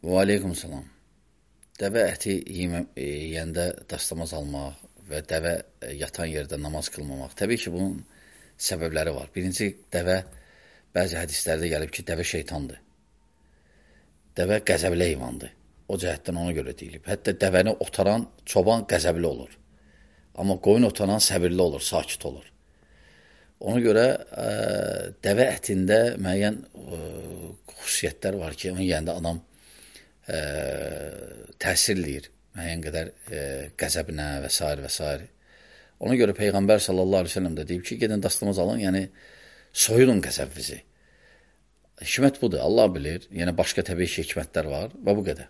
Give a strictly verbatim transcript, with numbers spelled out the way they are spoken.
Və aleykum salam. Dəvə əti yemə- e, yeyəndə dastamaz almaq və dəvə e, yatan yerdə namaz qılmamaq. Təbii ki, bunun səbəbləri var. Birinci, dəvə, bəzi hədislərdə gəlib ki, dəvə şeytandır. Dəvə qəzəbli heyvandır. O cəhətdən ona görə deyilib. Hətta dəvəni otaran çoban qəzəbli olur. Amma qoyun otaran səbirli olur, sakit olur. Ona görə ə, dəvə ətində müəyyən ə, xüsusiyyətlər var ki, onu yeyəndə adam ə, təsir eləyir müəyyən qədər ə, qəzəbinə və s. və s. Ona görə Peyğəmbər sallallahu aleyhi ve sellem də deyib ki, gedin dastamaz alın, yəni soyudun qəzəbinizi. Hikmət budur, Allah bilir. Yəni başqa təbii ki, hikmətlər var və bu qədər.